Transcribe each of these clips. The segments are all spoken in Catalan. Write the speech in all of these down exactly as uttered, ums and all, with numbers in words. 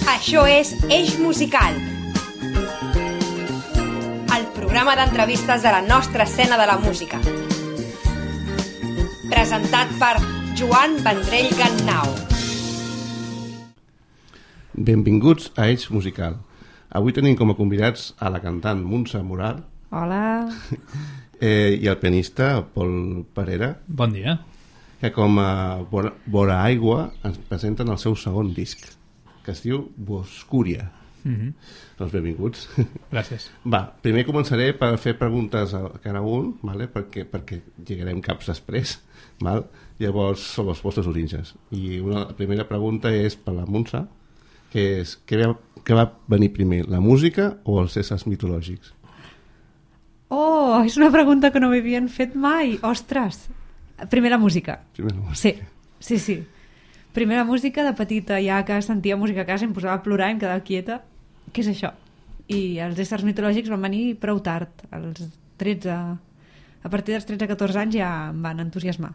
Això és Eix Musical, el programa d'entrevistes de la nostra escena de la música. Presentat per Joan Vendrell Gannau. Benvinguts a Eix Musical. Avui tenim com a convidats a la cantant Montse Moral. Hola. Eh, i el pianista Pol Parera. Bon dia. Que com a Vora, Vora Aigua ens presenten el seu segon disc, que es diu Boscúria. Mm-hmm. Doncs benvinguts. Gràcies. Va, primer començaré per fer preguntes a cada un, vale? perquè, perquè lligarem caps després. Val? Llavors, sobre els vostres orígens. I una, la primera pregunta és per la Montse, que és, què va, què va venir primer, la música o els éssers mitològics? Oh, és una pregunta que no m'havien fet mai. Ostres! Primer la música. Primer la música. Sí, sí, sí. Primer la música, de petita, ja que sentia música a casa, em posava a plorar i em quedava quieta. Què és això? I els éssers mitològics van venir prou tard, als tretze... A partir dels tretze a catorze anys ja em van entusiasmar.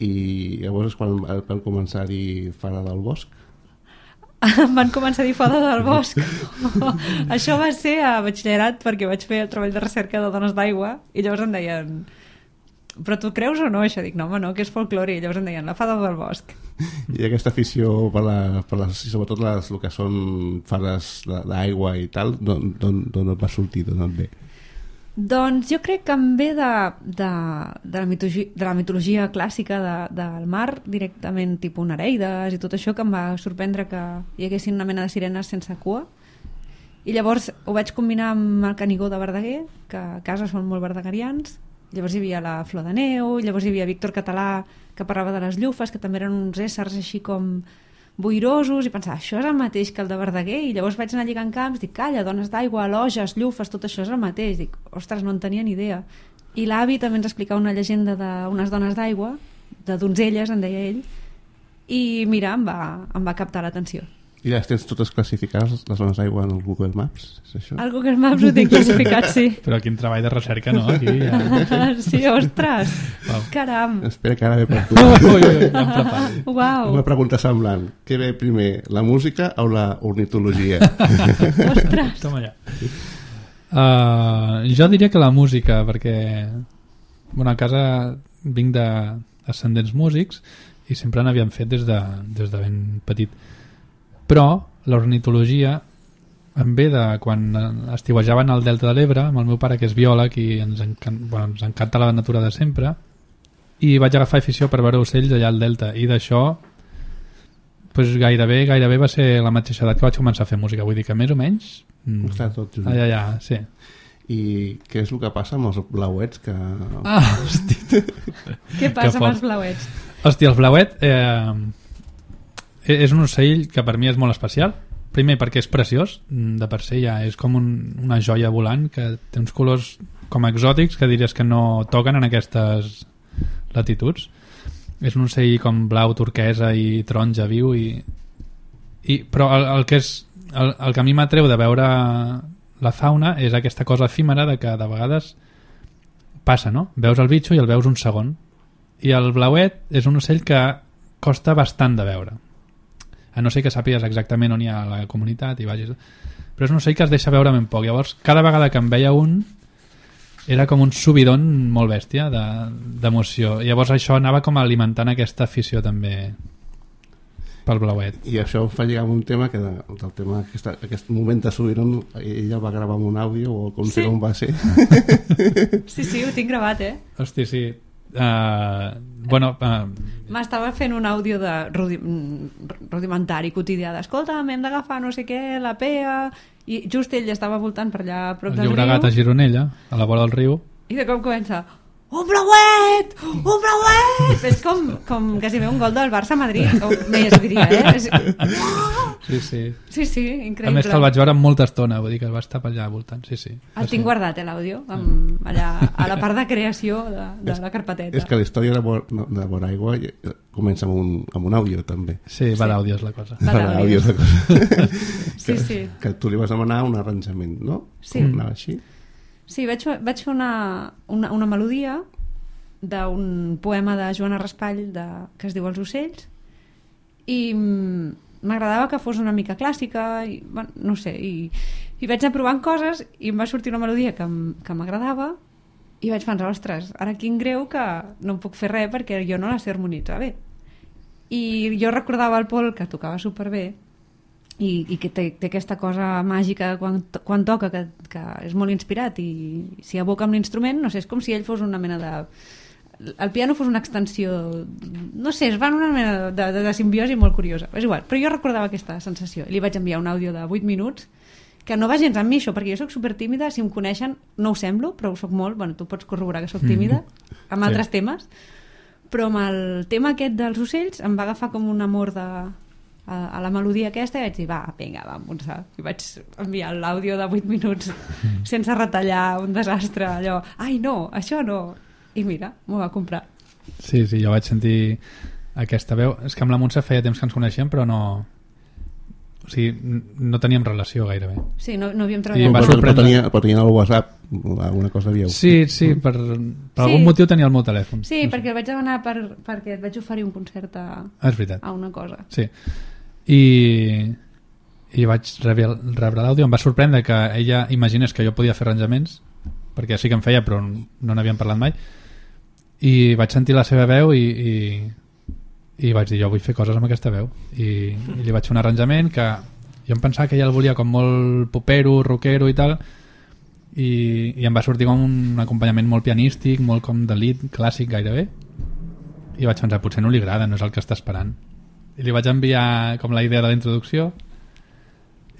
I llavors quan van començar a dir Fada del Bosc? Em van començar a dir Fada del Bosc. Això va ser a batxillerat, perquè vaig fer el treball de recerca de Dones d'Aigua i llavors em deien... Però tu creus o no això? Dic, no home, no, que és folklore. I llavors em deien la Fada del Bosc. I aquesta afició per, la, per les, sobretot les, el que són fades d'aigua i tal, d'on et va sortir, d'on et ve? Doncs jo crec que em ve de, de, de, la, mitologia, de la mitologia clàssica de, del mar, directament tipus Nereides i tot això, que em va sorprendre que hi haguessin una mena de sirenes sense cua. I llavors ho vaig combinar amb el Canigó de Verdaguer, que a casa són molt verdagarians. Llavors hi havia la Flor de Neu, llavors hi havia Víctor Català, que parlava de les llufes, que també eren uns éssers així com boirosos, i pensava, això és el mateix que el de Verdaguer, i llavors vaig anar lligant camps, dic, calla, dones d'aigua, loges, llufes, tot això és el mateix. Dic, ostres, no en tenia ni idea. I l'avi també ens explicava una llegenda d'unes dones d'aigua, de donzelles, en deia ell, i mira, em va, em va captar l'atenció. I les tens totes classificades, les zones d'aigua, en el Google Maps? És això? El Google Maps ho tinc classificat, sí. Però quin treball de recerca, no? Aquí ja... Sí, ostres! Wow. Caram! Espera que ara ve per tu. Ui, ui, ui, ja em preparo. Uau! Una pregunta semblant. Què ve primer, la música o la ornitologia? Ostres! Toma allà. Uh, jo diria que la música, perquè bueno, a casa vinc d'ascendents músics i sempre n'havíem fet des de, des de ben petit. Però l'ornitologia em ve de quan estiuejaven al Delta de l'Ebre amb el meu pare, que és biòleg i ens, encan... bueno, ens encanta la natura de sempre, i vaig agafar afició per veure ocells allà al Delta, i d'això pues, gairebé, gairebé va ser la mateixa edat que vaig començar a fer música, vull dir que més o menys mm, està tot just. allà, allà, sí. I què és el que passa amb els blauets que... Ah, hosti. Què passa amb els blauets? Hòstia, el blauet eh, és un ocell que per mi és molt especial. Primer perquè és preciós, de per si ja és com un, una joia volant que té uns colors com exòtics que diries que no toquen en aquestes latituds. És un ocell com blau, turquesa i taronja viu i, i però el, el que és el, el que a mi m'atreu de veure la fauna és aquesta cosa efímera de que de vegades passa, no? Veus el bitxo i el veus un segon, i el blauet és un ocell que costa bastant de veure, a no ser que sàpigues exactament on hi ha la comunitat i vagis, però és un ocell que es deixa veure ben poc. Llavors cada vegada que em veia un era com un subidon molt bèstia d'emoció, i llavors això anava com alimentant aquesta afició també pel blauet. I això em fa lligar amb un tema que de, del tema aquest, aquest moment de subidon ella va gravar amb un àudio o com sí. sé com va ser. Sí, sí, ho tinc gravat, eh? Hosti, sí. Uh, bueno, uh, m'estava fent un àudio de rudi rudimentari quotidià d'escolta, hem d'agafar no sé què, la pea, i just ell estava voltant per allà a prop del riu, el Llobregat a Gironella, a la vora del riu, i de cop comença un blauet, un blauet, és com, com quasi bé un gol del Barça a Madrid, o més diria, eh? És... sí, sí. Sí, sí, increïble. A més que el vaig veure amb molta estona, vull dir que va estar per allà voltant, sí, sí. El tinc guardat, eh, l'àudio, allà a la part de creació de, de la carpeteta. És que la història de, Bo, de Boraigua comença amb un, amb un àudio, també. Sí, va d'àudio és la cosa. Va d'àudio és la cosa. Sí, que, sí. Que tu li vas demanar un arranjament, no? Sí. Com anava així? Sí, vaig, vaig fer una, una, una melodia d'un poema de Joana Raspall de, que es diu Els ocells, i m'agradava que fos una mica clàssica i, bueno, no sé, i, i vaig anar provant coses i em va sortir una melodia que, que m'agradava i vaig pensar, ostres, ara quin greu que no em puc fer res perquè jo no la sé harmonitzar bé. I jo recordava el Pol que tocava superbé i, i que té, té aquesta cosa màgica quan, quan toca que, que és molt inspirat i s'hi aboca amb l'instrument, no sé, és com si ell fos una mena de... el piano fos una extensió, no sé, es va en una mena de, de, de simbiosi molt curiosa, és igual, però jo recordava aquesta sensació i li vaig enviar un àudio de vuit minuts que no va gens amb mi això, perquè jo soc supertímida, si em coneixen no ho semblo, però ho soc molt, bueno, tu pots corroborar que soc tímida amb sí. altres temes, però amb el tema aquest dels ocells em va agafar com un amor de a, a la melodia aquesta i vaig dir, va, vinga, va, Montse. I vaig enviar l'àudio de vuit minuts sense retallar, un desastre, allò, ai no, això no. I mira, m'ho va comprar. Sí, sí, jo vaig sentir aquesta veu. És que amb la Montse feia temps que ens coneixíem, però no... O sigui, no teníem relació gairebé. Sí, no, no havíem I treballat. em va Però, però, sorprendre. tenia, però tenia el WhatsApp, alguna cosa havíeu. Sí, sí, per, per Sí. algun motiu tenia el meu telèfon. Sí, no sé. perquè el vaig demanar per, perquè et vaig oferir un concert a, Ah, és veritat. a una cosa. Sí. I, i vaig rebre, rebre l'àudio. Em va sorprendre que ella imaginés que jo podia fer arranjaments, perquè sí que em feia, però no n'havíem parlat mai. I vaig sentir la seva veu i, i, i vaig dir, jo vull fer coses amb aquesta veu. I, i li vaig fer un arranjament que jo em pensava que ella el volia com molt popero, rockero i tal, i, i em va sortir com un acompanyament molt pianístic, molt com de lead, clàssic gairebé, i vaig pensar, potser no li agrada, no és el que està esperant. I li vaig enviar com la idea de la introducció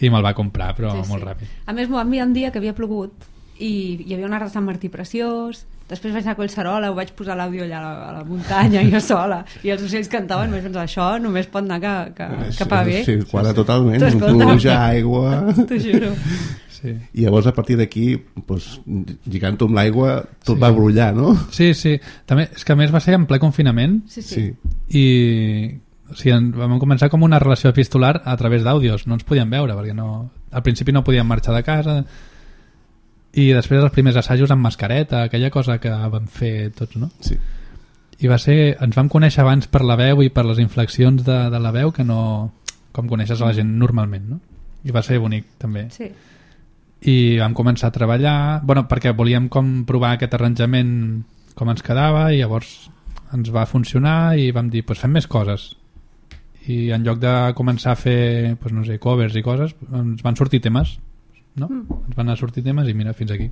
i me'l va comprar, però Sí, molt sí. ràpid. A més, m'ho va enviar un dia que havia plogut i hi havia un arbre de Sant Martí preciós. Després vaig anar a Collserola, ho vaig posar l'àudio allà a la, a la muntanya, jo sola, i els ocells cantaven, i vaig pensar, això només pot anar que, que, que pa bé. Sí, quadra totalment. Tu escolta. Pluja, aigua... T'ho juro. Sí. I llavors a partir d'aquí, doncs, lligant-ho amb l'aigua, tot Sí. va brollar, no? Sí, sí. També, és que a més va ser en ple confinament Sí, sí. i o sigui, en- vam començar com una relació epistolar a través d'àudios, no ens podíem veure perquè no, al principi no podíem marxar de casa i després els primers assajos amb mascareta, aquella cosa que vam fer tots, no? Sí. I va ser, ens vam conèixer abans per la veu i per les inflexions de, de la veu que no com coneixes a la gent normalment, no? I va ser bonic també. Sí. I vam començar a treballar, bueno, perquè volíem com provar aquest arranjament com ens quedava i llavors ens va funcionar i vam dir, pues fem més coses. I en lloc de començar a fer, pues no sé, covers i coses, ens van sortir temes, no? Mm. Ens van anar a sortir temes i mira, fins aquí.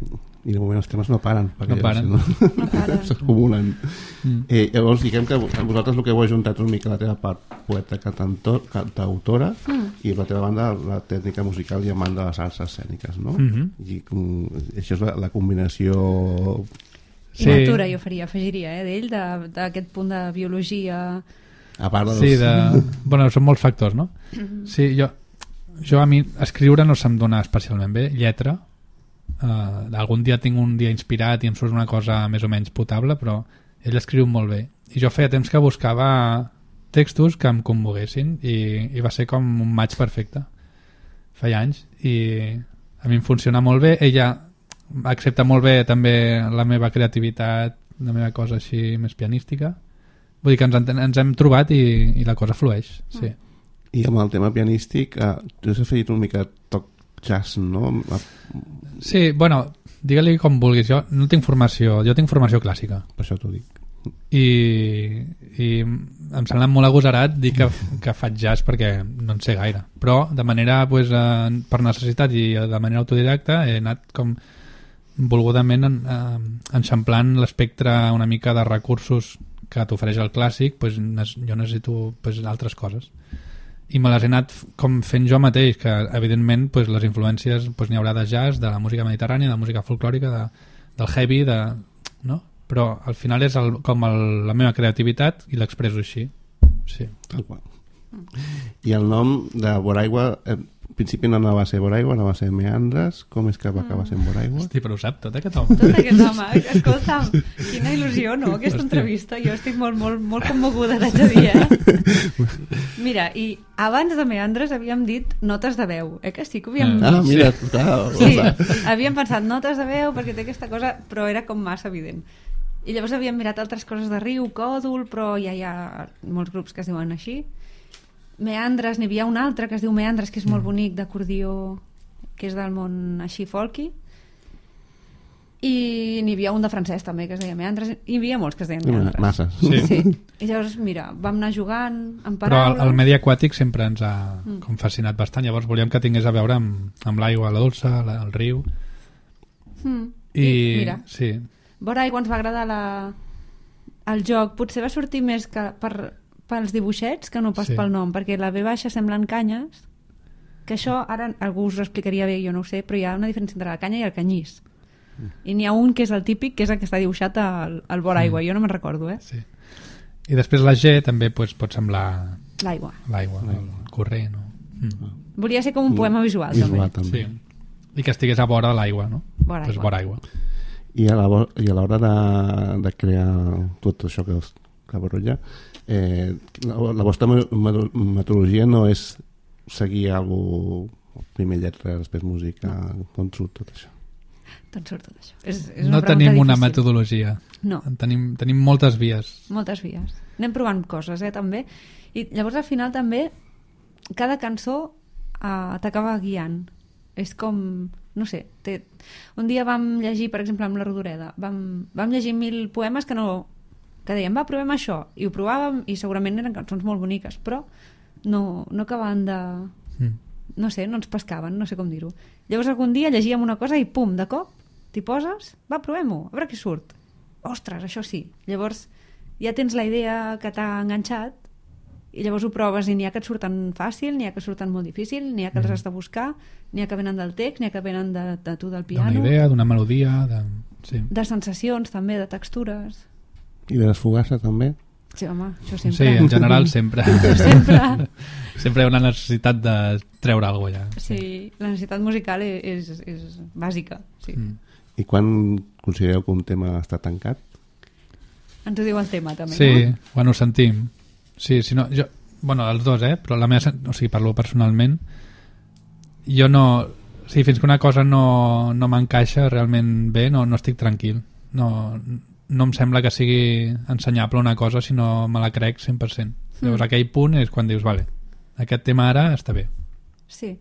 I de moment els temes no paren. perquè No paren. Si no, No paren. s'acumulen. Mm. Eh, llavors, diguem que vosaltres el que heu ajuntat una mica la teva part poeta cantantor, cantautora Mm. i per la teva banda la tècnica musical i amant de les arts escèniques, no? Mhm. I com, això és la, la combinació... I natura, jo faria, afegiria, eh, d'ell, de- d'aquest punt de biologia... A part dels... Sí, de... bueno, són molts factors, no? Sí, jo, jo a mi escriure no se'm dona especialment bé, lletra, uh, algun dia tinc un dia inspirat i em surt una cosa més o menys potable, però ell escriu molt bé. I jo feia temps que buscava textos que em commoguessin i, i va ser com un match perfecte. Feia anys i a mi em funciona molt bé. Ella accepta molt bé també la meva creativitat, la meva cosa així més pianística. Vull dir que ens, enten- ens hem trobat i, i la cosa flueix, sí. I amb el tema pianístic, eh, tu has afegit una mica toc jazz, no? Sí, bueno, digue-li com vulguis. Jo no tinc formació, jo tinc formació clàssica. Per això t'ho dic. I, i em sembla molt agosarat dir que, que faig jazz perquè no en sé gaire. Però de manera, pues, eh, per necessitat i de manera autodidacta he anat com volgudament en, eh, enxamplant l'espectre una mica de recursos que t'ofereix el clàssic, pues, nes- jo necessito pues, altres coses i me les he anat f- com fent jo mateix, que evidentment pues, les influències pues, n'hi haurà de jazz, de la música mediterrània, de la música folclòrica, de, del heavy, de, no? Però al final és el, com el, la meva creativitat i l'expresso així, sí. Tal qual. I el nom de Boraigua, eh, al principi no anava a ser Boraigua, anava a ser Meandres. Com és que va acabar sent Boraigua? Hosti, però ho sap tot aquest home. Tot aquest home, escolta'm, quina il·lusió, no?, aquesta Hòstia. entrevista. Jo estic molt, molt, molt commoguda, t'haig de dir, eh? Mira, i abans de Meandres havíem dit notes de veu, eh que sí que ho havíem... Ah, mira, clar. Sí, havíem pensat notes de veu perquè té aquesta cosa, però era com massa evident. I llavors havíem mirat altres coses de riu, còdol, però ja hi ha molts grups que es diuen així. Meandres, n'hi havia un altre que es diu Meandres, que és molt bonic, d'acordió, que és del món així folky, i n'hi havia un de francès també que es deia Meandres, i hi havia molts que es deien Meandres. Massa. Sí. Sí. I llavors, mira, vam anar jugant amb Però paraules. el, el medi aquàtic sempre ens ha mm. com fascinat bastant, llavors volíem que tingués a veure amb, amb l'aigua, la dolça, la, el riu. Mm. I, I mira, sí. vora aigua ens va agradar la... el joc, potser va sortir més que per, pels dibuixets que no pas Sí. pel nom, perquè la V baixa semblen canyes, que això ara algú us ho explicaria bé, jo no ho sé, però hi ha una diferència entre la canya i el canyís. I n'hi ha un que és el típic, que és el que està dibuixat al, al vora aigua, jo no me'n recordo, eh? Sí. I després la G també pues, pot semblar L'aigua. l'aigua, el corrent. No? Mm. Volia ser com un poema visual, Visual, també. també. Sí. I que estigués a vora de l'aigua, no? Vora Pues aigua. vora aigua. I a la vo- i a l'hora de, de crear tot això que, us- que barrulla, eh, la, la vostra me- me- metodologia no és seguir alguna cosa, primer lletra, després música, on surt tot això? Tot surt tot això. És, és una No pregunta tenim una difícil. metodologia. No. Tenim, tenim moltes vies. Moltes vies. Anem provant coses, eh, també. I llavors, al final, també, cada cançó eh, t'acaba guiant. És com, no sé, té... un dia vam llegir, per exemple, amb la Rodoreda, vam, vam llegir mil poemes que no... que dèiem, va, provem això. I ho provàvem, i segurament eren cançons molt boniques, però no, no acabaven de... Mm. no sé, no ens pescaven, no sé com dir-ho. Llavors algun dia llegíem una cosa i pum, de cop, t'hi poses, va, provem-ho, a veure què surt. Ostres, això sí. Llavors ja tens la idea que t'ha enganxat i llavors ho proves i n'hi ha que et surten fàcil, n'hi ha que surten molt difícil, n'hi ha que els has de buscar, n'hi ha que venen del text, n'hi ha que venen de, de tu del piano. D'una idea, d'una melodia, de... Sí. De sensacions també, de textures. I de les fugasses també? Sí, home, això Sí, sempre. en general sempre. Sempre. Sempre hi ha una necessitat de treure alguna cosa allà. Sí, la necessitat musical és, és, és bàsica. Sí. Mm. I quan considereu que un tema està tancat? Ens ho diu el tema, també, Sí, no? quan ho sentim. Sí, si no, jo, bueno, els dos, eh? Però la meva, sen- o sigui, parlo personalment. Jo no... O sigui, fins que una cosa no, no m'encaixa realment bé, no, no estic tranquil. No, no em sembla que sigui ensenyable una cosa si no me la crec cent per cent. Llavors aquell punt és quan dius, vale, aquest tema ara està bé. Sí.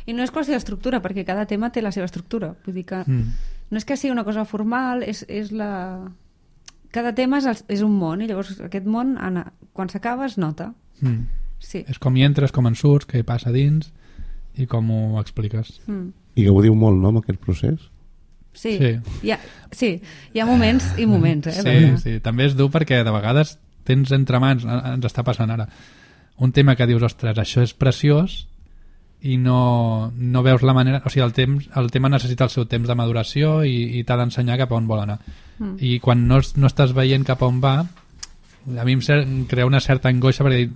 I no és qüestió d'estructura, perquè cada tema té la seva estructura. Vull dir que Mm. no és que sigui una cosa formal, és, és la... Cada tema és, el, és un món, i llavors aquest món, Anna, quan s'acaba, es nota. Mm. Sí. És com hi entres, com en surts, què passa dins i com ho expliques. Mm. I gaudiu molt, no, amb aquest procés? Sí. Sí. Hi ha, sí, hi ha moments i moments, eh? Sí, perquè- sí, també és dur perquè de vegades tens entre mans, ens està passant ara, un tema que dius, ostres, això és preciós i no, no veus la manera, o sigui, el, temps, el tema necessita el seu temps de maduració i, i t'ha d'ensenyar cap a on vol anar. Mm. I quan no, es- no estàs veient cap a on va, a mi em, cer em crea una certa angoixa perquè dic,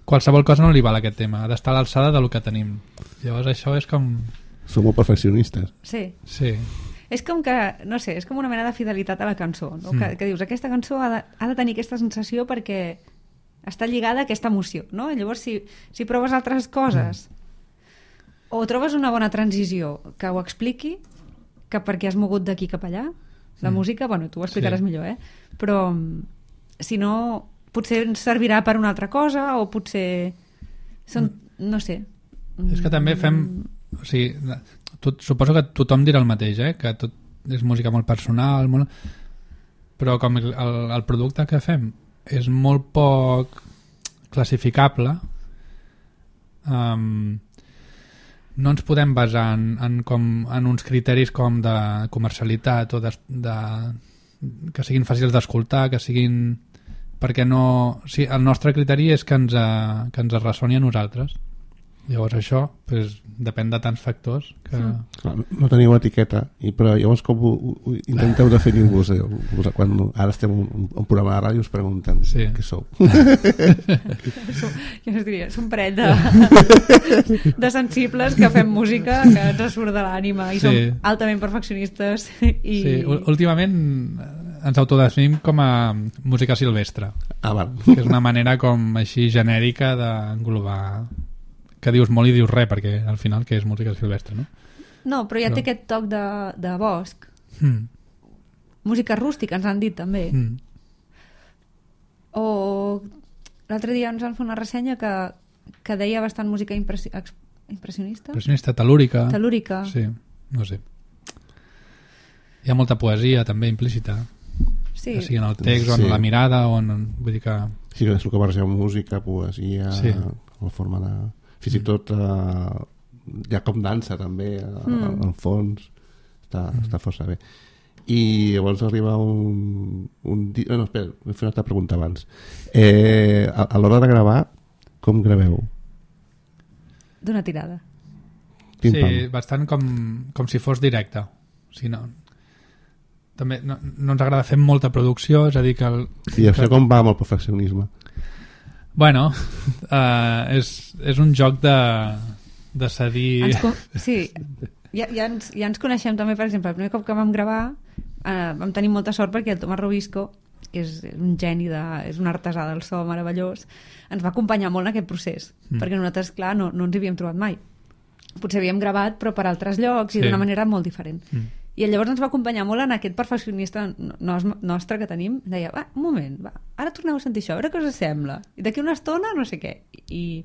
qualsevol cosa no li val a aquest tema, ha d'estar a l'alçada del que tenim. Llavors això és com... Som molt perfeccionistes. Sí. Sí, És com que, no sé, és com una mena de fidelitat a la cançó, no? Mm. que, que dius, aquesta cançó ha de, ha de tenir aquesta sensació perquè està lligada a aquesta emoció, no? Llavors, si, si proves altres coses o trobes una bona transició que ho expliqui, que perquè has mogut d'aquí cap allà, la Mm. música, bueno, tu ho explicaràs Sí. millor, eh? Però mm, si no, potser ens servirà per una altra cosa o potser són, no sé. És que també fem... O sigui, tot, suposo que tothom dirà el mateix, eh? Que tot és música molt personal, molt... però com el, el, el producte que fem és molt poc classificable, um, no ens podem basar en, en, com, en uns criteris com de comercialitat o de, de, que siguin fàcils d'escoltar, que siguin... perquè no... O sigui, el nostre criteri és que ens, eh, que ens ressoni a nosaltres. Llavors això pues, depèn de tants factors que... Mm. Clar, no, no teniu etiqueta, i, però llavors com ho, ho intenteu definir-vos? Eh? Vos- Quan ara estem en un, un programa de ràdio us pregunten Sí. què sou. Jo us diria, és un parell de, de sensibles que fem música que ens surt de l'ànima i Sí. som altament perfeccionistes i... Sí, ú- últimament eh, ens autodefinim com a música silvestre, Ah, val. que és una manera com així genèrica d'englobar, que dius molt i dius res, perquè al final que és música silvestre, no? No, però ja No. té aquest toc de, de bosc. Mm. Música rústica, ens han dit també. Mm. O l'altre dia ens van fer una ressenya que que deia bastant música impressi ex- impressionista. Impressionista, telúrica. Telúrica. Sí, no sé. Hi ha molta poesia també implícita. Sí. Que sigui en el text o en Sí. la mirada o en... Vull dir que... Sí, que és el que barreja música, poesia, Sí. la forma de... Fins i tot eh, hi ha com dansa també, a, Mm. al fons. Està, mm. està força bé. I llavors arriba un... un di... Bueno, espera, m'he fet una altra pregunta abans. Eh, a, a l'hora de gravar, com graveu? D'una tirada. Pim, Sí, pam. bastant com, com si fos directe. O sigui, no, també no, no ens agrada fer molta producció, és a dir que... El, I això que com va amb el perfeccionisme? bueno, uh, és, és un joc de, de cedir... Ens co- sí, ja, ja, ens, ja ens coneixem també, per exemple, el primer cop que vam gravar eh, vam tenir molta sort perquè el Tomàs Robisco, que és un geni, de, és un artesà del so meravellós, ens va acompanyar molt en aquest procés, Mm. perquè nosaltres, clar, no, no ens hi havíem trobat mai. Potser havíem gravat, però per altres llocs i Sí. d'una manera molt diferent. Mm. I llavors ens va acompanyar molt en aquest perfeccionista no, nostre que tenim. Deia, va, un moment, va, ara torneu a sentir això, a veure què us sembla. I d'aquí una estona no sé què. I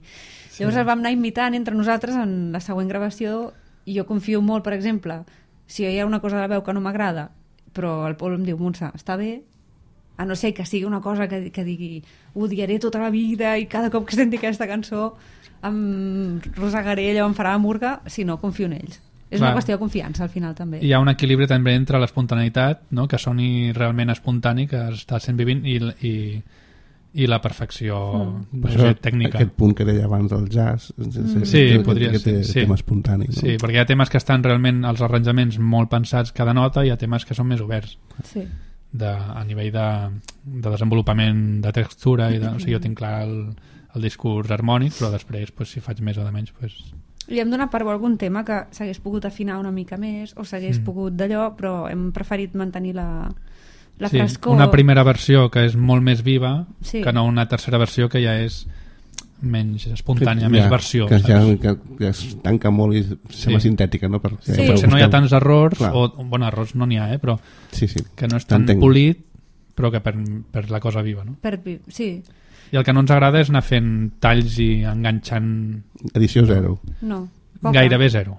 llavors el vam anar imitant entre nosaltres en la següent gravació i jo confio molt, per exemple, si hi ha una cosa de la veu que no m'agrada, però el Pol em diu, Montse, està bé, a no ser que sigui una cosa que, que digui ho odiaré tota la vida i cada cop que senti aquesta cançó em rosegaré, allò em farà la murga, si no, confio en ells. És Clar. una qüestió de confiança al final també. Hi ha un equilibri també entre l'espontaneïtat, no? Que soni realment espontani, que està sent vivint, i, i, i la perfecció Mm. no Per sé, això, tècnica. aquest punt que deia abans del jazz, Mm. Sí, que, podria que ser, té sí. tema espontani. No? Sí, perquè hi ha temes que estan realment els arranjaments molt pensats cada nota i hi ha temes que són més oberts Sí. de, a nivell de, de desenvolupament de textura i de, o sigui, jo tinc clar el, el discurs harmònic, però després pues, si faig més o de menys pues... Li hem donat per bo algun tema que s'hagués pogut afinar una mica més o s'hagués Mm. pogut d'allò, però hem preferit mantenir la, la sí, frescor. una primera versió que és molt més viva Sí. que no una tercera versió que ja és menys espontània, Ja, més versió, que, ja, saps? que, que es tanca molt i sembla Sí. sintètica, no? Per, Sí. per Potser no hi ha buscar- tants errors, Clar. o, bueno, errors no n'hi ha, eh, però Sí, sí. que no és tan T'entenc. polit, però que per, per la cosa viva, no? Per, vi- sí, I el que no ens agrada és anar fent talls i enganxant Edició zero. no. Poca. gairebé zero.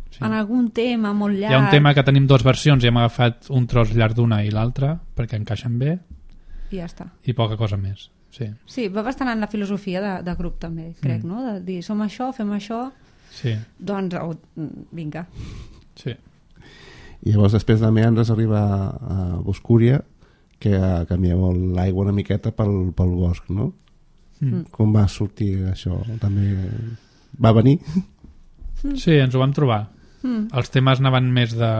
Sí. En algun tema molt llarg. Hi ha un tema que tenim dues versions i hem agafat un tros llarg d'una i l'altra perquè encaixen bé I ja està. i poca cosa més. Sí, Sí, va bastant en la filosofia de, de grup també, crec, Mm. no? De dir, som això, fem això, sí, doncs oh, vinga. sí. I llavors després de Meandres arriba a Boscúria, que canvia molt l'aigua una miqueta pel, pel bosc, no? Mm. Com va sortir això? També va venir? Sí, ens ho vam trobar. Mm. Els temes anaven més de,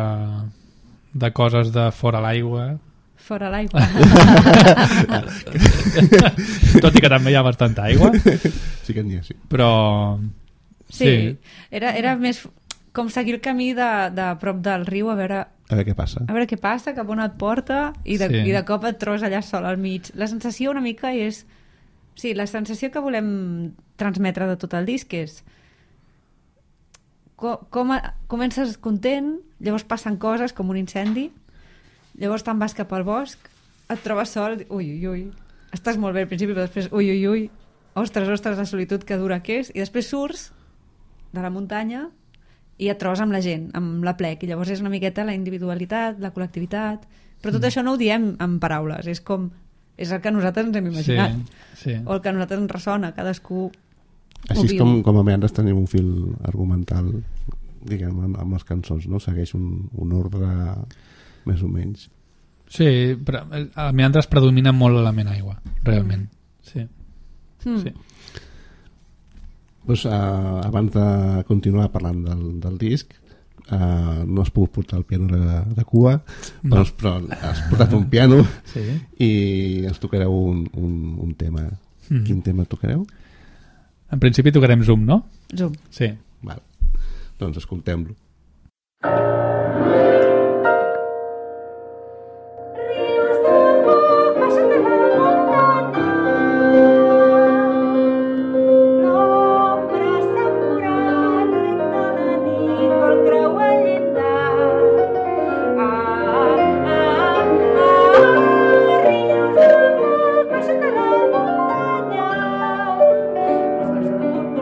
de coses de fora l'aigua, Fora l'aigua. tot i que també hi ha bastanta aigua, Sí que n'hi ha, sí. però Sí, sí, Era, era més com seguir el camí de, de prop del riu a veure, A veure què passa. a veure què passa, cap on et porta i de, Sí. i de cop et trobes allà sol al mig. La sensació una mica és... Sí, la sensació que volem transmetre de tot el disc és com, com a, comences content, llavors passen coses com un incendi, llavors te'n vas cap al bosc, et trobes sol, ui, ui, ui, estàs molt bé al principi, però després, ui, ui, ui, ostres, ostres, la solitud que dura que és, i després surts de la muntanya i et trobes amb la gent, amb la plec, i llavors és una miqueta la individualitat, la col·lectivitat, però tot Mm. això no ho diem en paraules, és com és el que nosaltres ens hem imaginat, sí, sí. o el que a nosaltres ens ressona, cadascú Així ho és viu. com, com a Meandres tenim un fil argumental, diguem, amb, amb les cançons, no? Segueix un, un ordre més o menys. Sí, però a Meandres predomina molt l'element aigua, realment. Sí, Mm. sí. Pues, uh, abans de continuar parlant del, del disc, uh, no has pogut portar el piano de, de cua, No. però, però has portat un piano Sí. i ens tocareu un, un, un tema. Mm. Quin tema tocareu? En principi tocarem Zoom, no? Zoom. Sí. Val. Doncs escoltem-lo. Ríos de foc baixen de la muntanya. L'ombra s'ha curat, recta la nit, vol creuar el llindar. Ah, ah, ah, ríos de foc baixen de la muntanya. Les coses de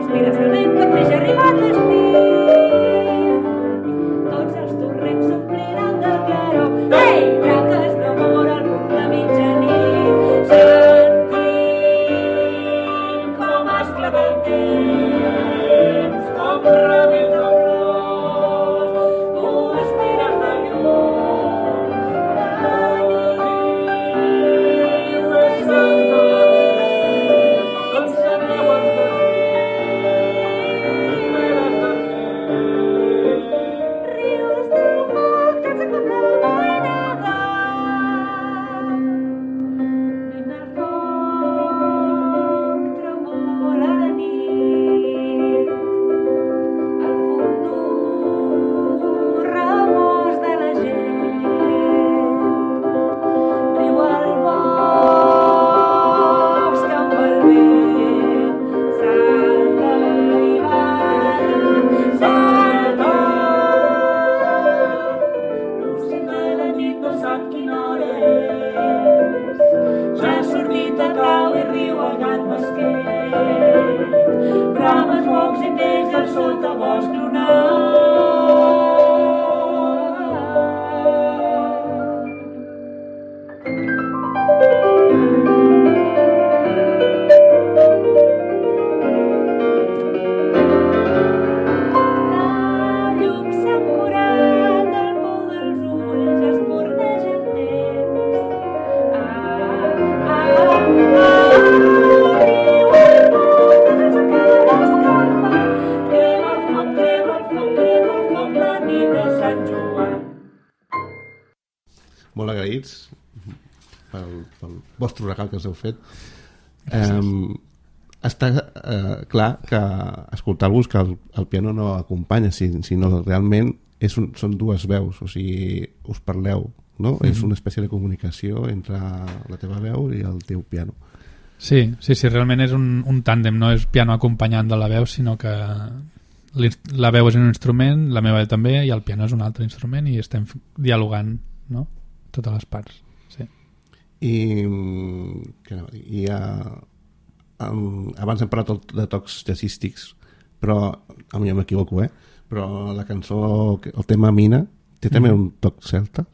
bosc lunar. La llum s'ha curat, el pou dels ulls espurneja el temps. Ah, ah, ah, riu el foc, que sense cara escalfa. Crema el foc, crema el foc, crema el foc, la nit de Sant Joan. Molt agraïts pel, pel vostre regal que us heu fet. Um, està uh, clar que escoltar-vos que el, el piano no acompanya, sinó realment és un, són dues veus, o sigui, us parleu, no? Mm-hmm. És una espècie de comunicació entre la teva veu i el teu piano. Sí, sí, sí, realment és un, un tàndem, no és piano acompanyant de la veu, sinó que la veu és un instrument, la meva també, i el piano és un altre instrument i estem dialogant, no? Totes les parts, sí. I, que no, i uh, um, abans hem parlat de tocs jazzístics, però a mi m'equivoco, eh? Però la cançó, el tema Mina, té també un toc celta?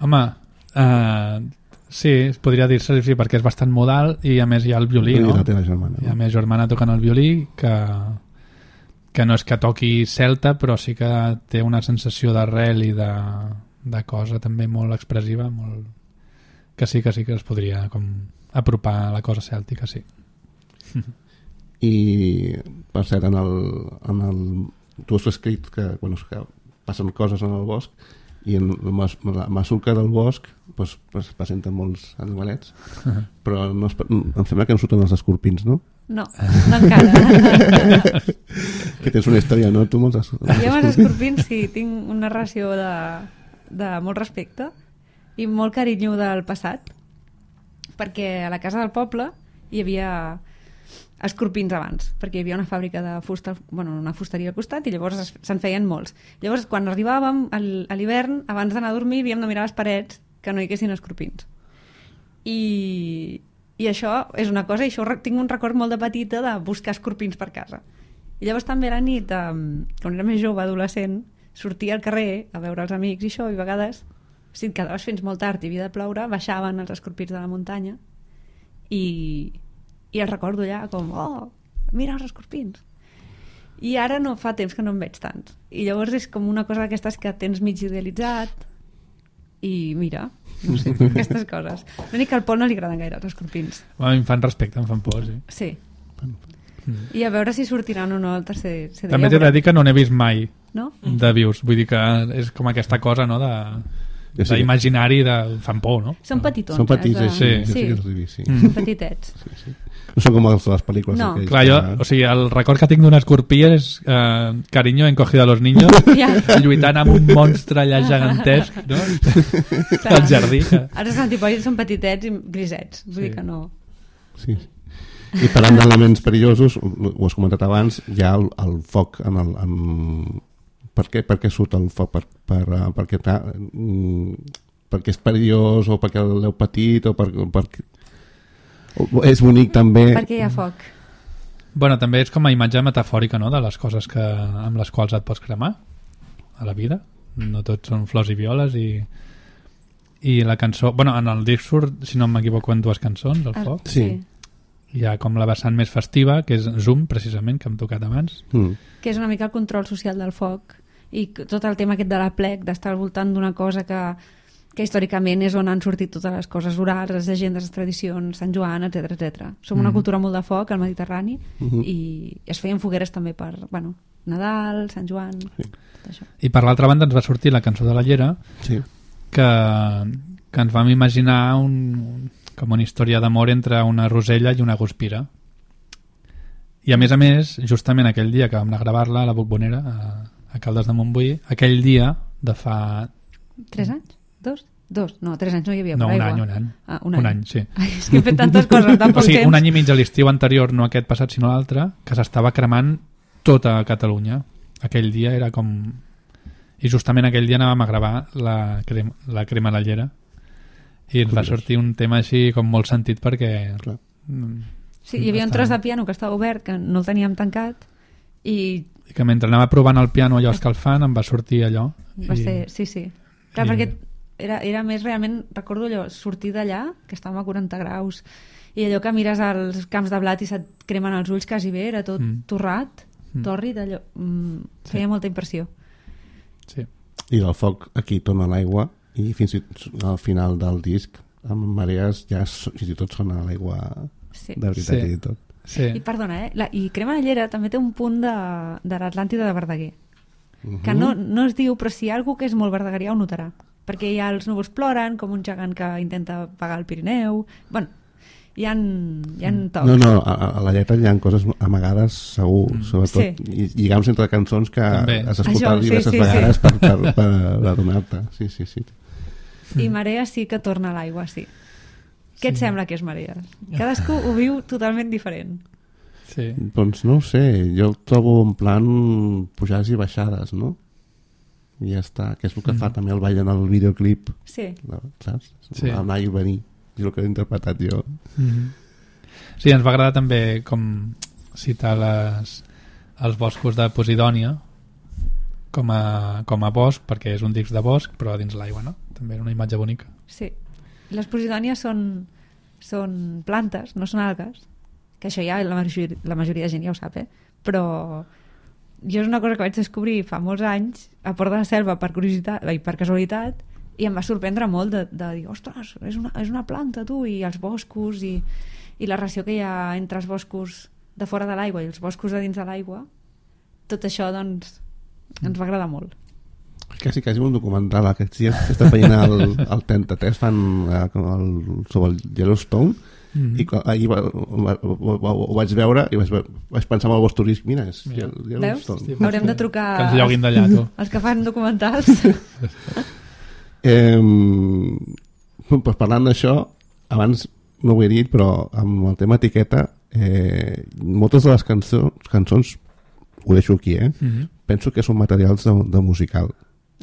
Home, uh, sí, es podria dir-se sí, perquè és bastant modal i a més hi ha el violí, no? I la teva germana. Hi ha més germana tocant el violí que, que no és que toqui celta, però sí que té una sensació d'arrel i de, de cosa també molt expressiva, molt... que sí que sí que es podria com apropar a la cosa cèltica, sí. I per cert, en el, en el, tu has escrit que, bueno, que passen coses en el bosc i en la, la masulca del bosc pues, pues, presenten molts animalets, uh-huh. Però no es, em sembla que no surten els escorpins, no? No, no encara. Que tens una història, no? Tu molts es... Jo amb els escorpins sí, tinc una relació de, de molt respecte i molt carinyo del passat, perquè a la casa del poble hi havia escorpins abans, perquè hi havia una fàbrica de fusta, bueno, una fusteria al costat i llavors se'n feien molts. Llavors quan arribàvem al, a l'hivern, abans d'anar a dormir havíem de mirar les parets que no hi haguessin escorpins. I, i això és una cosa, i això tinc un record molt de petita de buscar escorpins per casa. I llavors també a la nit, quan era més jove, adolescent, sortia al carrer a veure els amics i això, i a vegades si et quedaves fins molt tard i havia de ploure, baixaven els escorpins de la muntanya i, i els recordo allà com, oh, mira els escorpins. I ara no fa temps que no en veig tants. I llavors és com una cosa d'aquestes que tens mig idealitzat i mira, no sé, aquestes coses. L'únic que al Pol no li agraden gaire els escorpins. Bueno, em fan respecte, em fan por, sí. Sí. Mm. I a veure si sortiran o no el tercer C D. També t'he de dir que no n'he vist mai, no? De vius. Vull dir que és com aquesta cosa, no?, de... Sí. d'imaginari de... fan por, no? Són petitons. Són petits, eh? sí. Sí. Sí. Sí. Sí. Mm. Són petitets. Sí, sí. No són com els de les pel·lícules. No. Aquells, Clar, jo, que... o sigui, el record que tinc d'un escorpí és eh, carinyo en cogido a los niños, Ja. lluitant amb un monstre allà gegantesc, no? Clar. Al jardí. Que... Ara els antipois són petitets i grisets. Vull Sí. dir que no... Sí. I parlant d'elements perillosos, ho has comentat abans, hi ha el, el foc en el... En... Per, què, per què surt el foc? Per, per, uh, perquè, ta, mm, perquè és perillós o perquè l'heu patit o, per, perquè... o és bonic també... Perquè hi ha foc. Bueno, també és com a imatge metafòrica, no?, de les coses que, amb les quals et pots cremar a la vida. No tots són flors i violes i... i la cançó... Bueno, en el disc surt, si no m'equivoco, en dues cançons, el Ah, foc. Sí. Hi ha com la vessant més festiva, que és Zoom, precisament, que hem tocat abans. Mm. Que és una mica el control social del foc i tot el tema aquest de la plec, d'estar al voltant d'una cosa que, que històricament és on han sortit totes les coses orals, les llegendes, les tradicions, Sant Joan, etcètera etcètera. Som una Mhm. cultura molt de foc al Mediterrani Mhm. i es feien fogueres també per, bueno, Nadal, Sant Joan, Sí. tot això. I per l'altra banda ens va sortir la cançó de la Llera, Sí. que, que ens vam imaginar un, com una història d'amor entre una rosella i una guspira. I a més a més, justament aquell dia que vam anar a gravar-la a la Bombonera, a, a Caldes de Montbui, aquell dia de fa... Tres anys? Dos? Dos? No, tres anys no hi havia No, un paraigua. any, un any. Ah, un, Un any. any, sí. Ai, és que he fet tantes coses en tan O poc sigui, temps. un any i mig a l'estiu anterior, no aquest passat sinó l'altre, que s'estava cremant tota Catalunya. Aquell dia era com... I justament aquell dia anàvem a gravar la crema, la crema a la llera i ens va sortir un tema així com molt sentit perquè... Clar. mm, Sí, hi havia un tros de piano que estava obert, que no el teníem tancat, i i que mentre anava provant el piano allò escalfant em va sortir allò. Va I... ser, sí, sí. Clar, I- perquè era, era més realment, recordo allò, sortir d'allà, que estàvem a quaranta graus, i allò que mires als camps de blat i se't cremen els ulls quasi bé, era tot Mm. torrat, Mm. tòrrid, allò, mm, feia Sí. molta impressió. Sí. I del foc aquí torna l'aigua i fins i tot al final del disc amb marees ja so- fins i tot sona l'aigua Sí. de veritat Sí. i tot. Sí. I perdona, eh? La, I Crema de Llera també té un punt de, de l'Atlàntida de Verdaguer, Uh que no, no es diu, però si hi ha algú que és molt verdaguerià ho notarà, perquè hi ha els núvols ploren, com un gegant que intenta pagar el Pirineu. Bueno, hi ha, hi ha tocs. No, no, a, a la lletra hi ha coses amagades segur, mm. sobretot Sí. i lligams entre cançons que També. has escoltat Això, sí, diverses sí, vegades sí. per, per, per adonar-te. Sí, sí, sí. I Marea sí que torna a l'aigua, sí. Què et sembla que és Marea? Cadascú ho viu totalment diferent. Sí. Doncs no ho sé, jo el trobo en plan pujades i baixades, no? I ja està, que és el que Mm. fa també el ball en el videoclip, Sí. saps? Sí. Anar i venir, és el que he interpretat jo. Mm-hmm. Sí, ens va agradar també com citar les, els boscos de Posidònia com a, com a bosc, perquè és un disc de bosc però a dins l'aigua, no? També és una imatge bonica. Sí. Les posidònies són, són plantes, no són algues, que això ja la majoria, la majoria de gent ja ho sap, eh? Però jo és una cosa que vaig descobrir fa molts anys a Port de la Selva per curiositat i per casualitat, i em va sorprendre molt de, de dir, ostres, és una, és una planta, tu, i els boscos i, i la relació que hi ha entre els boscos de fora de l'aigua i els boscos de dins de l'aigua. Tot això, doncs, ens va agradar molt. Quasi, quasi un documental. Aquests dies que està veient el, el trenta-tres fan eh, el, sobre el Yellowstone Mm-hmm. i quan- ahir va, va, va, va, ho vaig veure i vaig, vaig pensar en el vostre turisme. Mira, és Mira. el Veus? Yellowstone. Sí, Haurem de trucar Que ens lloguin d'allà, tu. als que fan documentals. Eh, pues parlant d'això, abans no ho he dit, però amb el tema etiqueta, eh, moltes de les cançons, cançons ho deixo aquí, eh? Mm-hmm. Penso que són materials de, de musical.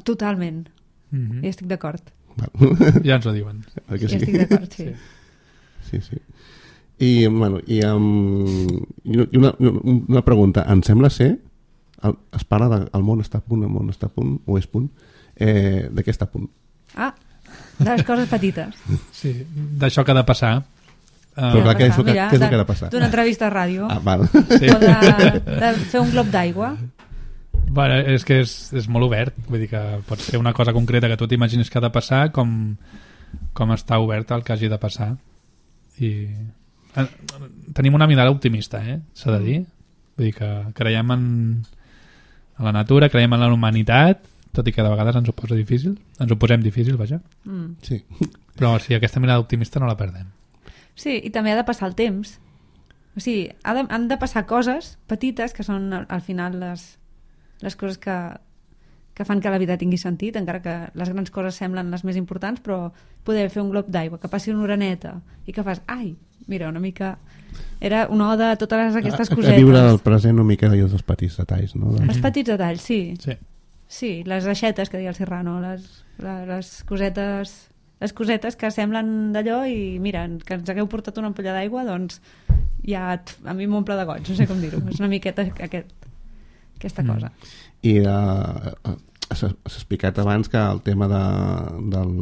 Totalment. Mm-hmm. I estic d'acord. Ja ens ho diuen. Oi que I sí? estic d'acord, sí. Sí, sí. I, bueno, i, um, i una, una pregunta. Em sembla ser, el, es parla de el món està a punt, el món està a punt, o és punt, eh, de què està a punt? Ah, de les coses petites. Sí, d'això que ha de passar. Uh, Però clar, què és el que- Mira, què és el de- que ha de passar? D'una entrevista a ràdio. Ah, val. sí. O de, de fer un glob d'aigua. Bueno, és que és, és molt obert, vull dir que pot ser una cosa concreta que tu t'imagines que ha de passar com, com està obert el que hagi de passar. I eh, tenim una mirada optimista, eh? S'ha de dir. Vull dir que creiem en, en la natura, creiem en la humanitat, tot i que de vegades ens ho posa difícil, ens ho posem difícil, vaja. Mm. Sí. Però sí, aquesta mirada optimista no la perdem. Sí, i també ha de passar el temps. O sigui, ha de, han de passar coses petites que són al, al final les, les coses que, que fan que la vida tingui sentit, encara que les grans coses semblen les més importants, però poder fer un glob d'aigua, que passi una oreneta i que fas, ai, mira, una mica... Era una oda a totes aquestes a, cosetes. a viure el present una mica i els petits detalls, no? Els petits detalls, sí. Sí. Sí, les aixetes que deia el Serrano, les, les, les cosetes les cosetes que semblen d'allò i mira, que ens hagueu portat una ampolla d'aigua, doncs ja a mi m'omple de goig, no sé com dir-ho, és una miqueta aquest, aquesta Mm. cosa. I uh, s'ha s'ha explicat abans que el tema de, del...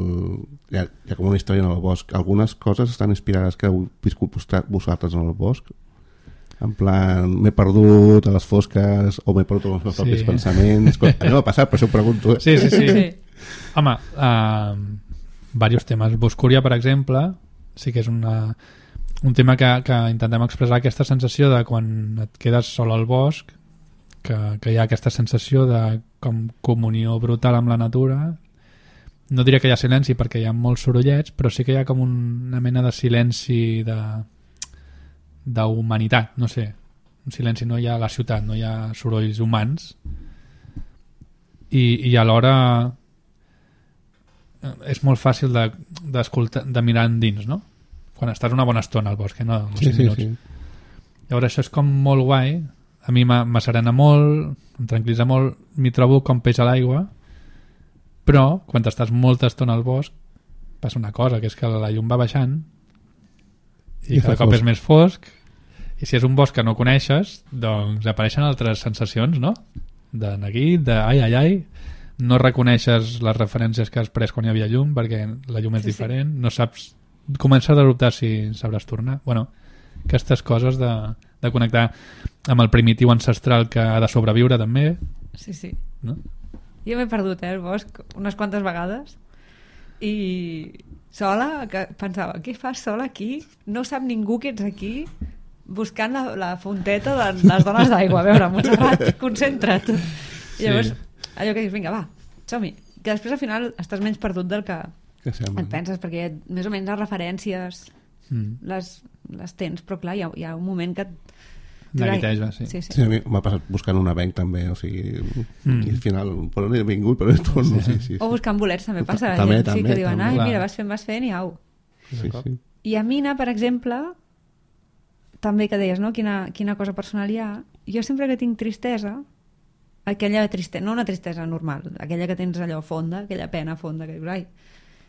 Hi ha, hi ha com una història en el bosc. Algunes coses estan inspirades que heu viscut vosaltres en el bosc. En plan, m'he perdut a les fosques o m'he perdut els meus Sí. propis pensaments. A mi m'ha passat, per això ho pregunto. Eh? Sí, sí, sí. Sí. Home, uh, diversos temes. Boscúria, per exemple, sí que és una, un tema que, que intentem expressar aquesta sensació de quan et quedes sol al bosc, que, que hi ha aquesta sensació de com comunió brutal amb la natura. No diré que hi ha silenci perquè hi ha molts sorollets, però sí que hi ha com una mena de silenci de d'humanitat, no sé, un silenci, no hi ha a la ciutat, no hi ha sorolls humans i, i alhora és molt fàcil de, d'escoltar, de mirar endins, no? Quan estàs una bona estona al bosc, eh? No, no Sí, cinc sí, minuts. sí. Llavors això és com molt guai, a mi m'ha- m'asserena molt, em tranquil·litza molt, m'hi trobo com peix a l'aigua, però quan estàs molta estona al bosc passa una cosa, que és que la llum va baixant i, I cada fa cop fosc. és més fosc I si és un bosc que no coneixes, doncs apareixen altres sensacions, no? De neguit, de ai, ai, ai, no reconeixes les referències que has pres quan hi havia llum perquè la llum és Sí, sí. diferent, no saps, comences a dubtar si sabràs tornar. Bueno, aquestes coses de, de connectar amb el primitiu ancestral que ha de sobreviure també, Sí, sí. no? Jo m'he perdut, eh, el bosc, unes quantes vegades i sola, que pensava, què fas sola aquí? No sap ningú que ets aquí buscant la, la fonteta de les dones d'aigua. A veure, Montserrat, concentra't. I llavors, Sí. allò que dius, vinga, va, som-hi. Que després al final estàs menys perdut del que Que sembla. et penses, perquè més o menys les referències Mm. les, les tens, però clar, hi ha, hi ha un moment que... Neguiteja, sí. sí, sí. Sí, a mi m'ha passat buscant un avenc també, o sigui, Mm. i al final, per on he vingut, per on he torno, sí, sí, sí. O buscant bolets també passa. També, gent, sí, també, que diuen, també. ai, Clar. mira, vas fent, vas fent i au. sí, sí. I a Mina, per exemple, també que deies, no? Quina, quina cosa personal hi ha. Jo sempre que tinc tristesa, aquella tristesa, no una tristesa normal, aquella que tens allò fonda, aquella pena fonda, que dius, ai,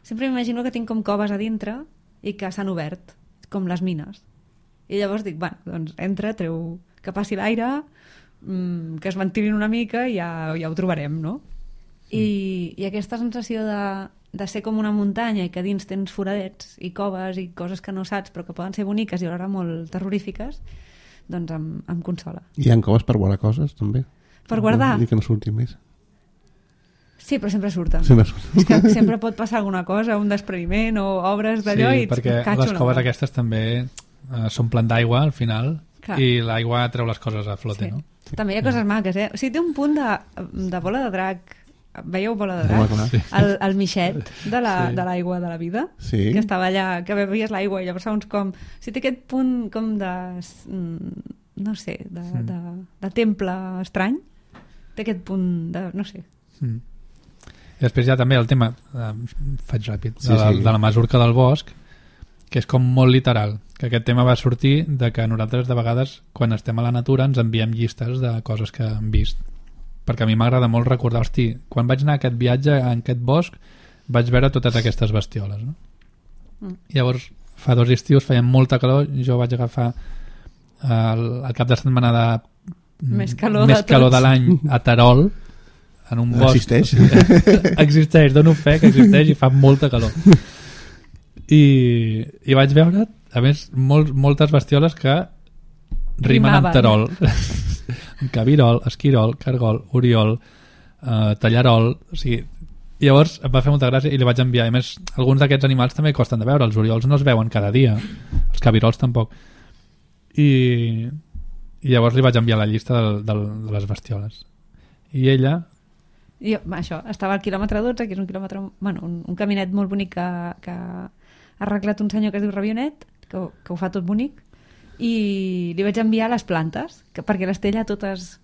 sempre m'imagino que tinc com coves a dintre i que s'han obert, com les mines. I llavors dic, bueno, doncs entra, treu, que passi l'aire, mmm, que es ventilin una mica i ja, ja ho trobarem, no? I, i aquesta sensació de, de ser com una muntanya i que dins tens foradets i coves i coses que no saps però que poden ser boniques i alhora molt terrorífiques, doncs em, em consola. Hi ha coves per guardar coses, també. Per guardar? I que no surti més. Sí, però sempre surten. Sempre surten. És que sempre pot passar alguna cosa, un despreniment o obres d'allò Sí, i perquè catxo les una coves cosa. aquestes també eh, s'omplen d'aigua al final. Clar. I l'aigua treu les coses a flote, Sí. no? També hi ha coses maques, eh? O sigui, té un punt de, de bola de drac. Veieu bola de Home, drac? clar. Sí. El, el mixet de la- Sí. de l'aigua de la vida. Sí. Que estava allà, que bevies l'aigua i llavors segons com... O sigui, té aquest punt com de... mm, no sé, de, de, de temple estrany. Té aquest punt de... no sé. Mm. I després hi ha també el tema, eh, faig ràpid, Sí, de, la, sí. de la masurca del bosc, que és com molt literal, que aquest tema va sortir de que nosaltres de vegades quan estem a la natura ens enviem llistes de coses que hem vist, perquè a mi m'agrada molt recordar, hosti, quan vaig anar a aquest viatge en aquest bosc vaig veure totes aquestes bestioles, no? Mm. Llavors fa dos estius feia molta calor, jo vaig agafar el, el cap de setmana de Més calor més de calor tots. de l'any a Terol, en un bosc. Existeix? Existeix, dono fe que existeix i fa molta calor. I, i vaig veure, a més, molt, moltes bestioles que rimen amb Rimaven. Terol. Cabirol, esquirol, cargol, oriol, eh, tallarol, o sigui, llavors em va fer molta gràcia i li vaig enviar. A més, alguns d'aquests animals també costen de veure, els oriols no es veuen cada dia, els cabirols tampoc. I, i llavors li vaig enviar la llista del, del, de les bestioles. I ella... I jo, això, estava al quilòmetre dotze, que és un quilòmetre, bueno, un, un caminet molt bonic que, que ha arreglat un senyor que es diu Rabionet, que, ho- que ho fa tot bonic, i li vaig enviar les plantes, que, perquè les té allà totes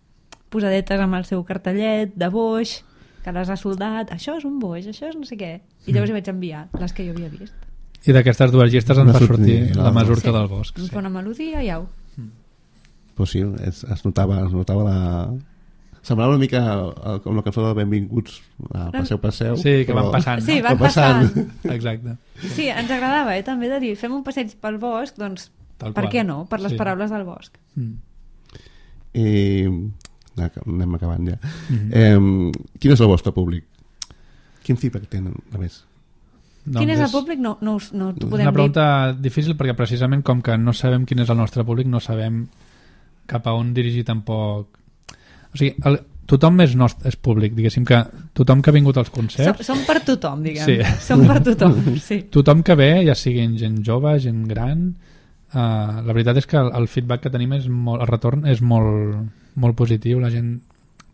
posadetes amb el seu cartellet de boix, que les ha soldat, això és un boix, això és no sé què. I llavors li vaig enviar les que jo havia vist. I d'aquestes dues llistes ens Va va sortir sortir la la masurca Sí. del bosc. Em fa una melodia i au. Pues sí, es, es notava, es notava la... Semblava una mica eh, com la cançó de Benvinguts a Passeu, Passeu. Sí, que van passant. Sí, no? van Va passant. passant. Exacte. Sí, ens agradava, eh, també de dir, fem un passeig pel bosc, doncs, Tal per qual. què no? Per les Sí. paraules del bosc. Mm. I... Anem acabant ja. Mhm. Eh, quin és el vostre públic? Quin feedback tenen, a més? Doncs Quin és el públic? No, no, us- no t'ho És podem una dir. pregunta difícil perquè precisament com que no sabem quin és el nostre públic, no sabem cap a on dirigir tampoc... O sigui, el, tothom és, nostre, és públic, diguéssim que tothom que ha vingut als Som, concerts, som per tothom, diguem. Sí. Som per tothom, sí. tothom que ve, ja siguin gent jove, gent gran, uh, la veritat és que el, el feedback que tenim és molt, el retorn és molt, molt positiu, la gent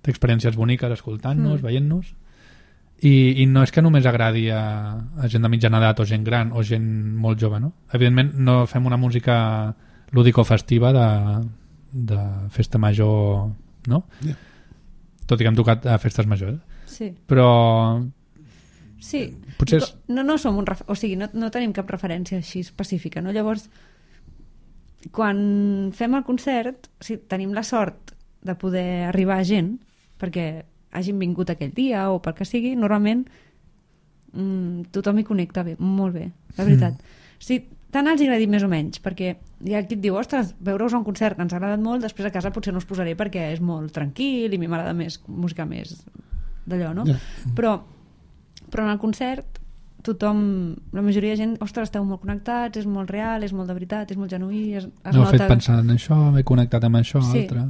té experiències boniques escoltant-nos, Mm. veient-nos, i, i no és que només agradi a, a gent de mitjana edat o gent gran o gent molt jove, no? Evidentment no fem una música lúdico-festiva de, de festa major, no? Yeah. Tot i que hem tocat a festes majors, Sí, però sí. potser és... No, no som un... Ref... O sigui, no, no tenim cap referència així específica, no? Llavors, quan fem el concert, sí, tenim la sort de poder arribar a gent, perquè hagin vingut aquell dia o pel que sigui, normalment mm, tothom hi connecta bé, molt bé, la veritat. Mm. O sigui, tant els agradi més o menys, perquè hi ha qui et diu, ostres, veure-us a un concert que ens ha agradat molt, després a casa potser no us posaré perquè és molt tranquil i a mi m'agrada més música més d'allò, no? Ja. Però, però en el concert tothom, la majoria de gent, ostres, esteu molt connectats, és molt real, és molt de veritat, és molt genuí, es, es M'ho ha nota... fet pensar en això, m'he connectat amb això, Sí. altre.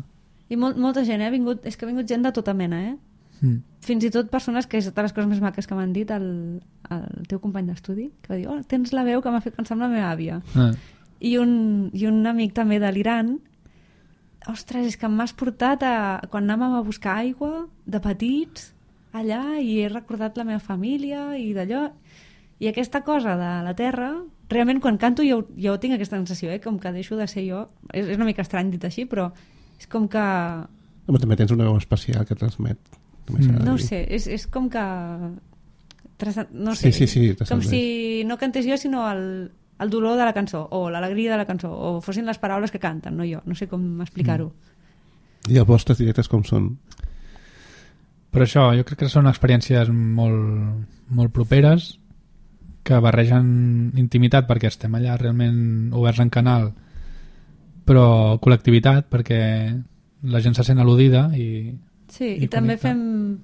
I molt, molta gent, eh? Ha vingut, és que ha vingut gent de tota mena, eh? Mm. Fins i tot persones que és de les coses més maques que m'han dit el, el teu company d'estudi, que va dir, oh, tens la veu que m'ha fet pensar en la meva àvia. Ah. I un, i un amic també de l'Iran, ostres, és que m'has portat a, quan anàvem a buscar aigua de petits allà i he recordat la meva família i d'allò, i aquesta cosa de la terra, realment quan canto jo, jo tinc aquesta sensació, eh? Com que deixo de ser jo, és, és una mica estrany dit així, però és com que Home, també tens una veu especial que transmet. També s'ha de no ho dir. sé, és, és com que tras- no sé, Sí, sí, sí, com transcendeix. si no cantés jo sinó el, el dolor de la cançó o l'alegria de la cançó o fossin les paraules que canten, no jo, no sé com explicar-ho. I els vostres directes com són? Però això, jo crec que són experiències molt, molt properes que barregen intimitat perquè estem allà realment oberts en canal, però col·lectivitat perquè la gent se sent al·ludida i, Sí, I i, també connecta. fem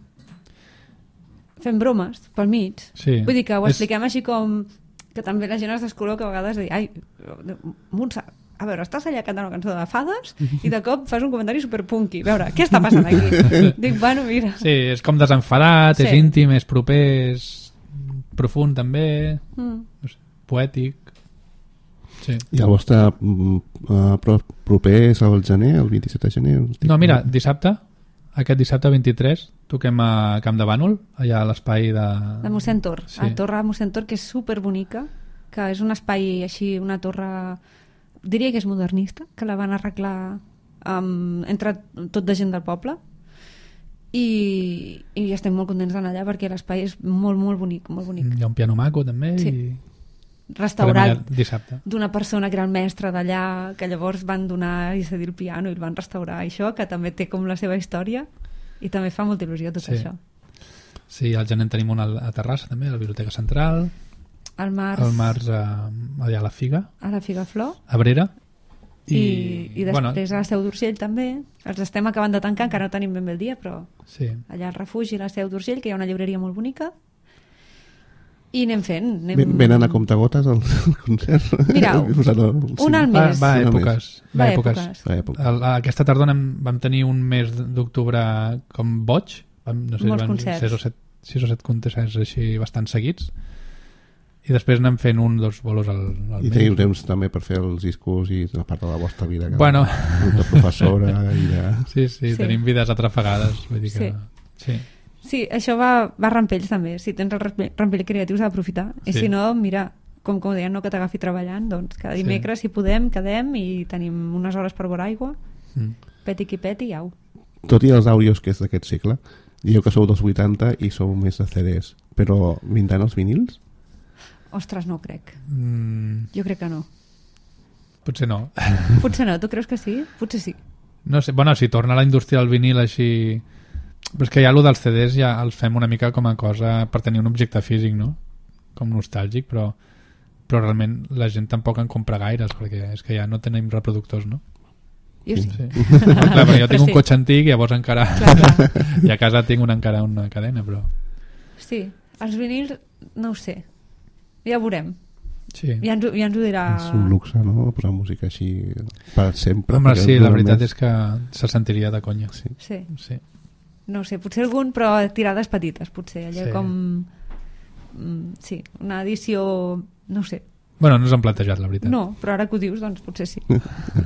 fem bromes pel mig. Sí. Vull dir que ho És- expliquem així com que també la gent es descolor que a vegades dir, ai, Montse, a veure, estàs allà cantant una cançó de fades i de cop fas un comentari superpunky. A veure, què està passant aquí? Dic, bueno, mira. sí, és com desenfadat, Sí. és íntim, és proper, és profund també, Mm. no sé, poètic. Sí. I el vostre mm, uh, pro- proper és el gener, el vint-i-set de gener? No, mira, dissabte, aquest dissabte vint-i-tres, toquem a Camp de Bànol, allà a l'espai de... De mossèn Tor, Sí. sí. a Torre de mossèn Tor, que és superbonica, que és un espai així, una torre, diria que és modernista, que la van arreglar amb, entre tot de gent del poble, i, i estem molt contents d'anar allà perquè l'espai és molt, molt bonic, molt bonic. Hi ha un piano maco també Sí. i Restaurat farem allà dissabte. d'una persona que era el mestre d'allà, que llavors van donar i cedir el piano i el van restaurar, això, que també té com la seva història, i també fa molta il·lusió tot Sí. això. Sí, al gener en tenim una a Terrassa també, a la Biblioteca Central, Al març, al març a, allà a la Figa, a la Figaflor, a Brera, i, i bueno, després a la Seu d'Urgell també. Els estem acabant de tancar, encara no tenim ben bé el dia, però sí. allà al refugi a la Seu d'Urgell, que hi ha una llibreria molt bonica, i anem fent. Anem... Ven- Venen a comptagotes al concert? Mira, Posant el- un al Va, mes. va a Un al èpoques. Va Va a a èpoques. èpoques. Va, època. El, aquesta tardor anem, vam tenir un mes d'octubre com boig, vam, no sé, Molts van concerts. sis o set, sis o set concerts així bastant seguits, i després anem fent un dos bolos al, al I mes. teniu temps també per fer els discos i la part de la vostra vida que Bueno. de professora i de... Sí, sí, Sí. tenim vides atrafegades, vull dir que... Sí. Sí, això va, va a rampells també. Si tens el rampell, rampell creatiu s'ha d'aprofitar. I Sí. si no, mira, com, com deien, no que t'agafi treballant, doncs cada Sí. dimecres, si podem, quedem i tenim unes hores per veure aigua, Mm. peti qui peti i au. Tot i els àudios que és d'aquest segle, dieu que sou dels vuitanta i sou més de C Ds, però vindran els vinils? Ostres, no ho crec. Mm, Jo crec que no. potser no. Potser no, tu creus que sí? Potser sí. No sé, bueno, si torna la indústria del vinil així... Però és que ja allò dels C Ds ja els fem una mica com a cosa per tenir un objecte físic, no? Com nostàlgic, però, però realment la gent tampoc en compra gaires, perquè és que ja no tenim reproductors, no? Jo sí. Sí. No, clar, però jo Però tinc un sí. cotxe antic i llavors encara... Clar, clar. I a casa tinc una, encara una cadena, però... Sí, els vinils, no ho sé. Ja ho veurem. Sí. Ja ens, ho- ja ens ho dirà... És un luxe, no? Posar música així per sempre. Home, perquè sí, dura la veritat més. és que se sentiria de conya. Sí. Sí, Sí. no ho sé, potser algun, però tirades petites, potser. Allò Sí. com... mm, Sí, una edició... No ho sé. Bueno, no ens han plantejat, la veritat. No, però ara que ho dius, doncs potser sí.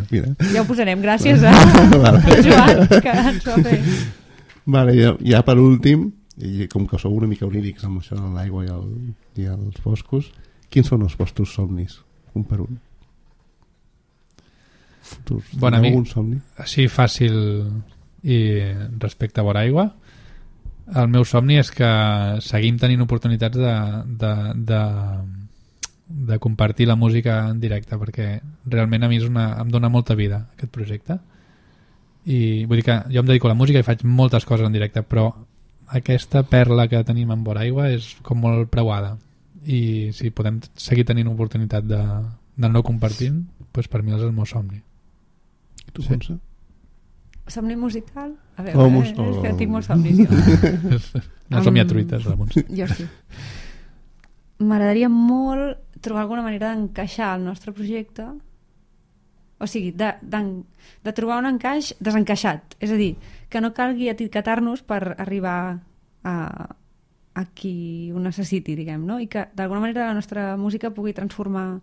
Mira. Ja ho posarem, gràcies a Vale. Joan, que ens ho ha fet. Vale, ja, ja per últim, i com que sou una mica onírics amb això de l'aigua i, el, i els boscos, quins són els vostres somnis? Un per un. Futurs. Bon, a Teniu mi- algun somni? Així fàcil i respecte a vora aigua, el meu somni és que seguim tenint oportunitats de, de, de, de compartir la música en directe, perquè realment a mi és una, em dona molta vida aquest projecte, i vull dir que jo em dedico a la música i faig moltes coses en directe, però aquesta perla que tenim en vora aigua és com molt preuada, i si podem seguir tenint oportunitat de, de no compartint, pues per mi és el meu somni. I tu, Sí. Montse? Somni musical? A veure, Oh, eh, mus- és que oh. tinc molts somnis jo. No som ja truites, Ramon. Jo sí. M'agradaria molt trobar alguna manera d'encaixar el nostre projecte, o sigui, de, de, de trobar un encaix desencaixat, és a dir, que no calgui etiquetar-nos per arribar a, a qui ho necessiti, diguem, no? I que d'alguna manera la nostra música pugui transformar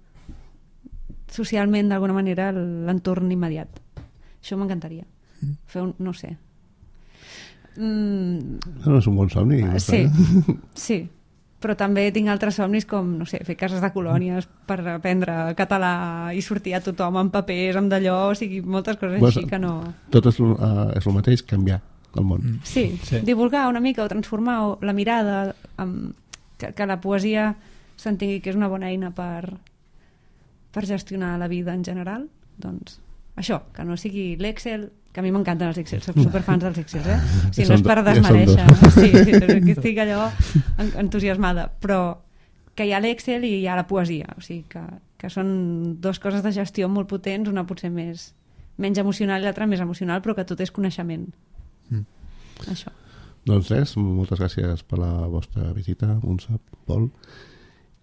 socialment d'alguna manera l'entorn immediat. Això m'encantaria. Fer un, no sé. Mm, No, no és un bon somni. no sí, està. sí. Però també tinc altres somnis com, no sé, fer cases de colònies per aprendre català i sortir a tothom amb papers, amb d'allò, o sigui, moltes coses Bueno, així que no... Tot és, uh, és el mateix, canviar el món. Mm. Sí, Sí. sí, divulgar una mica o transformar o la mirada, amb, que, que la poesia s'entengui que és una bona eina per, per gestionar la vida en general, doncs això, que no sigui l'Excel, que a mi m'encanten els Excel, soc superfans dels Excel, eh? O sigui, no és per Ja són desmereixer, dos. sí, sí, que estic allò en- entusiasmada, però que hi ha l'Excel i hi ha la poesia, o sigui, que, que són dues coses de gestió molt potents, una potser més menys emocional i l'altra més emocional, però que tot és coneixement. Mm. Això. Doncs res, moltes gràcies per la vostra visita, Montse, Pol,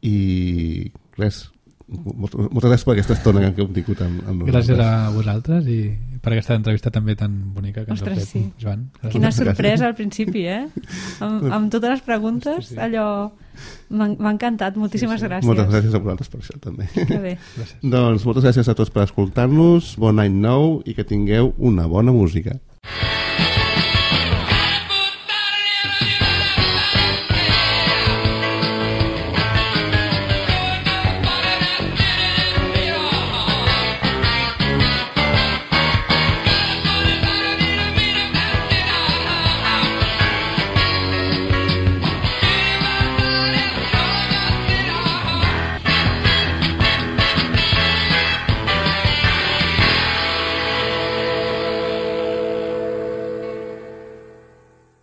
i res, moltes, moltes gràcies per aquesta estona que hem tingut amb, amb Gràcies nosaltres. a vosaltres i per aquesta entrevista també tan bonica que ens Ostres, heu fet, sí. Joan. Quina Gràcies. sorpresa al principi, eh? Amb, amb totes les preguntes, Sí, sí. allò... M'ha m'ha encantat, moltíssimes Sí, sí. gràcies. Moltes gràcies a vosaltres per això també. Que bé. Gràcies. Doncs moltes gràcies a tots per escoltar-nos, bon any nou i que tingueu una bona música.